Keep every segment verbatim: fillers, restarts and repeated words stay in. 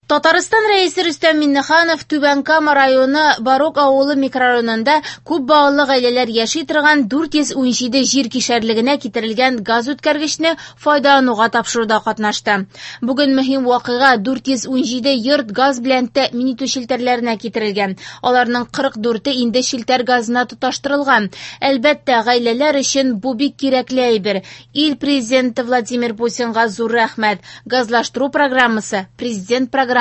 Татарстан Рәисе Рөстәм Миңнеханов Түбән Кама районы Барок авылы микрорайонында күп балалы гаиләләр яши торган дүрт йөз унҗиде җир кишәрлегенә китерелгән газ үткәргечне файдалануга тапшыруда катнашты. Бүген мөһим вакыйга дүрт йөз унҗиде йорт газ белән тәэмин итү челтәрләренә китерелгән. Аларның кырык дүрте инде челтәр газына тоташтырылган. Әлбәттә, гаиләләр өчен бу бик кирәкле әйбер. Ил президенты Владимир Путинга зур рәхмәт. Газлаштыру программасы, президент программасы,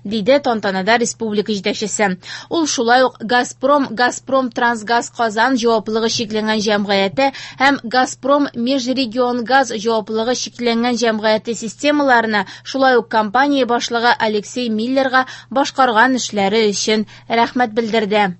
диде тантанада республика җитәкчесе. Ул шулай ук Газпром, Газпром Трансгаз Казан җаваплылыгы чикләнгән җәмгыяте һәм Газпром Межрегионгаз җаваплылыгы чикләнгән җәмгыяте системаларына, шулай ук компания башлыгы Алексей Миллерга башкарган эшләре өчен рәхмәт белдерде.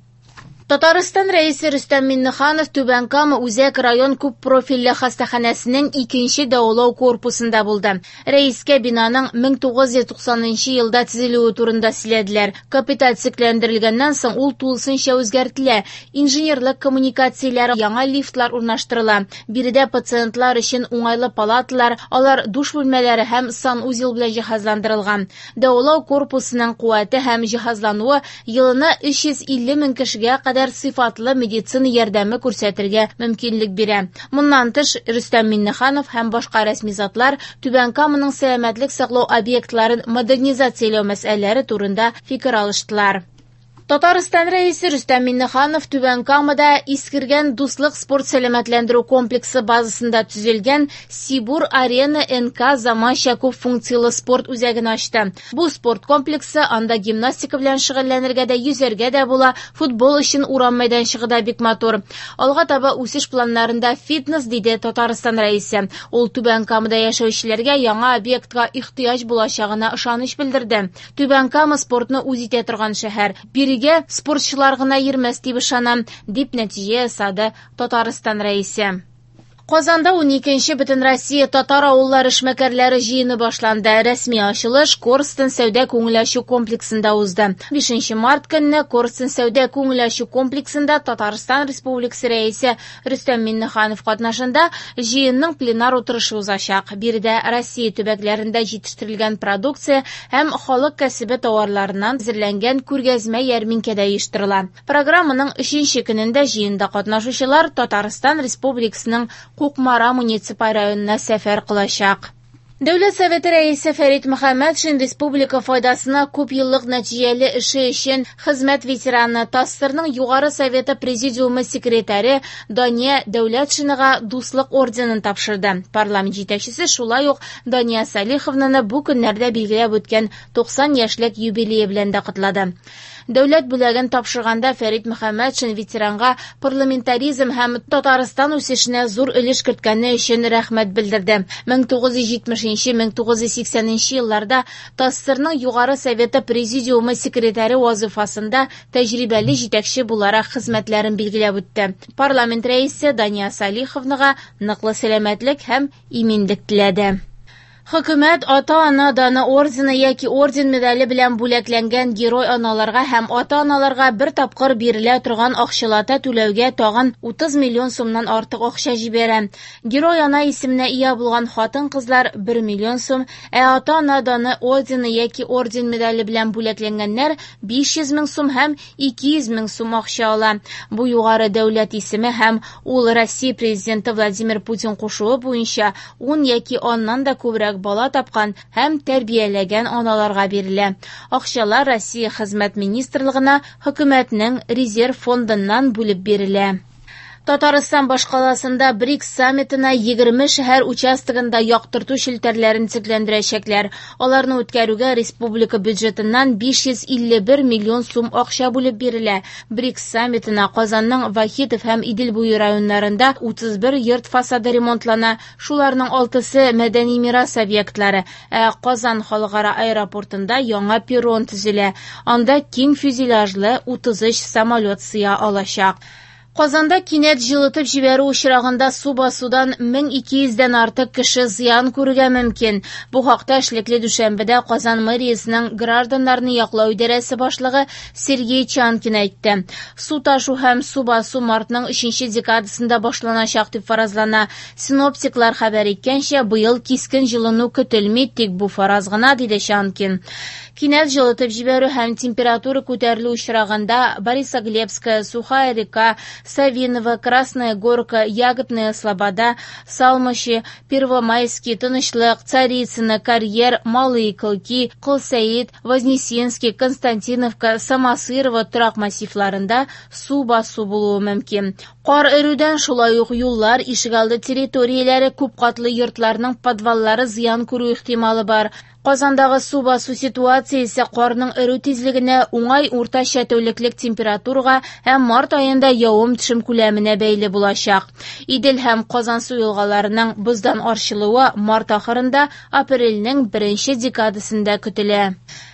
Татарстан Рәисе Рөстәм Миңнеханов Түбән Кама Үзәк район күп профильле хастаханәсенең икенче дәвалау корпусында булды. Рәискә бинаның мең тугыз йөз туксанынчы елда төзелүе турында сөйләделәр. Капиталь төзекләндерелгәннән соң ул тулысынча үзгәртелә. Инженерлык коммуникацияләре, яңа лифтлар урнаштырыла. Биредә пациентлар өчен уңайлы палаталар, алар душ бүлмәләре һәм санузел белән җиһазландырылган. Дәвалау корпусының куәте һәм җиһазлануы елына өч йөз илле мең кешегә кадәр сыйфатлы медицина ярдәме күрсәтергә мөмкинлек бирә. Моннан тыш, Рөстәм Миңнеханов һәм башка рәсми затлар Түбән Каманың сәламәтлек саклау объектларын модернизацияләү мәсьәләләре турында фикер алыштылар. Татарстан Рәисе Рөстәм Миңнеханов Түбән Камада искергән Дуслык спорт сәламәтләндерү комплексы базасында төзелгән Сибур Арена эн ка заманча күп функцияле спорт үзәген ачты. Бу спорт комплексы анда гимнастика белән шөгыльләнергә дә, йөзәргә дә була, футбол өчен урам мәйданчыгы да бик матур. Алга таба үсеш планнарында фитнес, диде Татарстан Рәисе. Ул Түбән Камада яшәүчеләргә яңа объектка ихтыяҗ булачагына ышаныч белдерде. Түбән Кама спортны үз итә торган шәһәр. Бирегә спортчылар гына йөрмәс дип ышанам, дип нәтиҗә ясады Татарстан Рәисе. Казанда ун икенче Бөтенроссия татар авыллары эшмәкәрләре җыены башланды. Рәсми ачылыш Корстон сәүдә күңел ачу комплексында узды. Бишенче март көнне Корстон сәүдә күңел ачу комплексында Татарстан Республикасы Рәисе Рөстәм Миңнеханов катнашында җыенның пленар утырышы узачак. Биредә Россия төбәкләрендә җитештерелгән продукция һәм халык кәсебе товарларыннан әзерләнгән күргәзмә ярминкәдә оештырыла. Программаның өченче көнендә җыенда катнашучылар Татарстан Республикасының Кукмара муниципаль районына сәфәр кылачак. Дәүләт Советы рәисе Фәрит Мөхәммәтшин республика файдасына күп еллык нәтиҗәле эше өчен хезмәт ветераны, ТАССРның Югары Советы Президиумы секретаре Дания Дәүләтшинага Дуслык орденын тапшырды. Парламент җитәкчесе шулай ук Дания Салиховнаны бу көннәрдә билгеләп үткән туксан яшьлек юбилее белән дә котлады. Дәүләт бүләген тапшырганда Фәрит Мөхәммәтшин ветеранга парламентаризм һәм Татарстан үсешенә зур өлеш керткәне өчен рәхмәт белдерде. Мең тугыз йөз җитмешенче, мең тугыз йөз сиксәненче елларда ТАССРның Югары Советы Президиумы секретаре вазифасында тәҗрибәле җитәкче буларак хезмәтләрен билгеләп үтте. Парламент рәисе Дания Салиховнага ныклы сәламәтлек һәм иминлек теләде. Хөкүмәт ата-ана даны ордены яки орден медале белән бүләкләнгән герой аналарга һәм ата-аналарга бер тапкыр бирелә торган акчалата түләүгә тагын утыз миллион сумнан артык акча җибәрә. Герой ана исеменә ия булган хатын-кызлар бер миллион сум, ә ата-ана даны ордены яки орден медале белән бүләкләнгәннәр биш йөз мең сум һәм ике йөз мең сум акча ала. Бу югары дәүләт исеме һәм ул Россия президенты Владимир Путин кушуы буенча ун яки аннан да күбрәк бала тапкан һәм тәрбияләгән аналарга бирелә. Акчалар Россия Хезмәт Министрлыгына хөкүмәтнең резерв фондыннан бүлеп бирелә. Татарстан башкаласында БРИКС саммитына егерме шәһәр участогында яктырту челтәрләрен төзекләндерәчәкләр. Аларны үткәрүгә республика бюджетыннан биш йөз илле бер миллион сум акча бүлеп бирелә. БРИКС саммитына Казанның Вахитов һәм Идел буе районнарында утыз бер йорт фасады ремонтлана. Шуларның алтысы мәдәни мирас объектлары. Ә Казан халыкара аэропортында яңа перрон төзелә. Анда киң фюзеляжлы утыз өч самолет сыя алачак. Казанда кинәт җылытып җибәрү очрагында су басудан мең ике йөздән артык кеше зыян күрергә мөмкин. Бу хакта эшлекле дүшәмбедә Казан мэриясенең гражданнарны яклау идарәсе башлыгы Сергей Чанкин әйтте. Су ташу һәм су басу мартның өченче декадасында башланачак дип фаразлана. Синоптиклар хәбәр иткәнчә, быел кискен җылыну көтелми, тик бу фараз гына, диде Чанкин. Кинәт җылытып җибәрү һәм температура күтәрелү очрагында Борисоглебская, Сухая река, Савиново, Красная Горка, Ягодная Слобода, Салмыши, Первомайский, Тынычлык, Царицыно, Карьер, Малые Клыки, Колсәет, Вознесенский, Константиновка, Самосырово торак массивларында су басу булуы мөмкин. Кар эрүдән шулай ук юллар, ишегалды территорияләре, күпкатлы йортларның подваллары зыян күрү ихтималы бар. Казандагы су басу ситуациясе карның эрү тизлегенә, уңай уртача тәүлеклек температурага һәм март аенда явым-төшем күләменә бәйле булачак. Идел һәм Казансу елгаларының боздан арчылуы март ахырында, апрельнең беренче декадасында көтелә.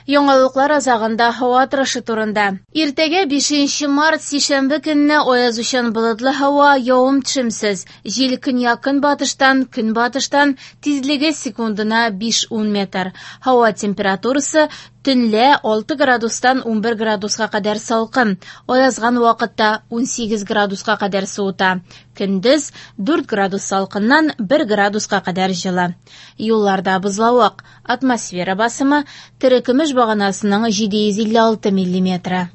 Яңалыклар азагында һава торышы турында. Иртәгә бишенче март сишәмбе көнне аязучан болытлы һава, явым-төшемсез. Җил көньяк-көнбатыштан, көнбатыштан, тизлеге секундына биш-ун метр. Һава температурасы төнлә алты градустан унбер градуска кадәр салкын, аязган вакытта унсигез градуска кадәр суыта. Көндез дүрт градус салкыннан бер градуска кадәр җылы. Юлларда бозлавык, атмосфера басымы терекөмеш баганасының җиде йөз илле алты миллиметры.